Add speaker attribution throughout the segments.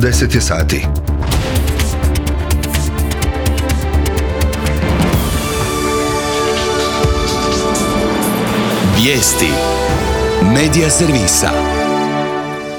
Speaker 1: 10 je sati.
Speaker 2: Vijesti Medija servisa.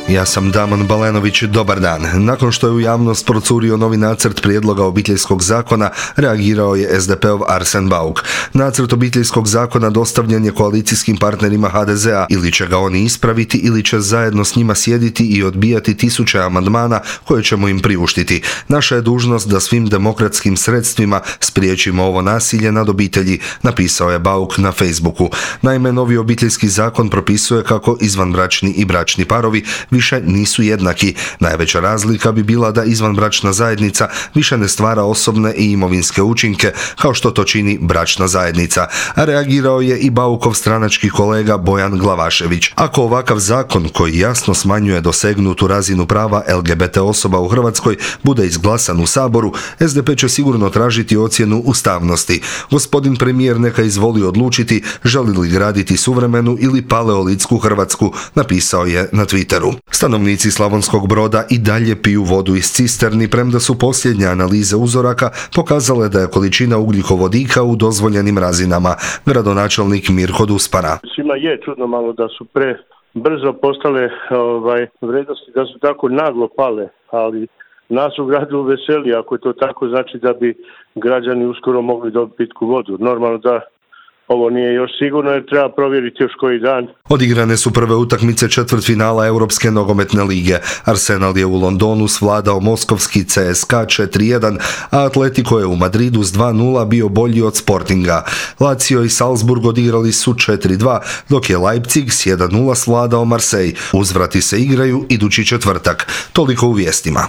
Speaker 1: Ja sam Damon Balenović, dobar dan. Nakon što je u javnost procurio novi nacrt prijedloga obiteljskog zakona, reagirao je SDP-ov Arsen Bauk. Nacrt obiteljskog zakona dostavljen je koalicijskim partnerima HDZ-a, ili će ga oni ispraviti ili će zajedno s njima sjediti i odbijati tisuće amandmana koje ćemo im priuštiti. Naša je dužnost da svim demokratskim sredstvima spriječimo ovo nasilje nad obitelji, napisao je Bauk na Facebooku. Naime, novi obiteljski zakon propisuje kako izvanbračni i bračni parovi više nisu jednaki. Najveća razlika bi bila da izvanbračna zajednica više ne stvara osobne i imovinske učinke kao što to čini bračna zajednica. A reagirao je i Baukov stranački kolega Bojan Glavašević. Ako ovakav zakon koji jasno smanjuje dosegnutu razinu prava LGBT osoba u Hrvatskoj bude izglasan u Saboru, SDP će sigurno tražiti ocjenu ustavnosti. Gospodin premijer neka izvoli odlučiti želi li graditi suvremenu ili paleolitsku Hrvatsku, napisao je na Twitteru. Stanovnici Slavonskog Broda i dalje piju vodu iz cisterni, premda su posljednje analize uzoraka pokazale da je količina ugljikovodika u dozvoljenim razinama. Gradonačelnik Mirko Duspara.
Speaker 3: Svima je čudno malo da su brzo postale vrednosti, da su tako naglo pale, ali nas u gradu veseli, ako je to tako, znači da bi građani uskoro mogli dobiti pitku vodu. Normalno da ovo nije još sigurno jer treba provjeriti još koji dan.
Speaker 1: Odigrane su prve utakmice četvrtfinala Europske nogometne lige. Arsenal je u Londonu svladao moskovski CSKA 4-1, a Atletico je u Madridu s 2-0 bio bolji od Sportinga. Lazio i Salzburg odigrali su 4-2, dok je Leipzig s 1-0 svladao Marseille. Uzvrati se igraju idući četvrtak. Toliko u vijestima.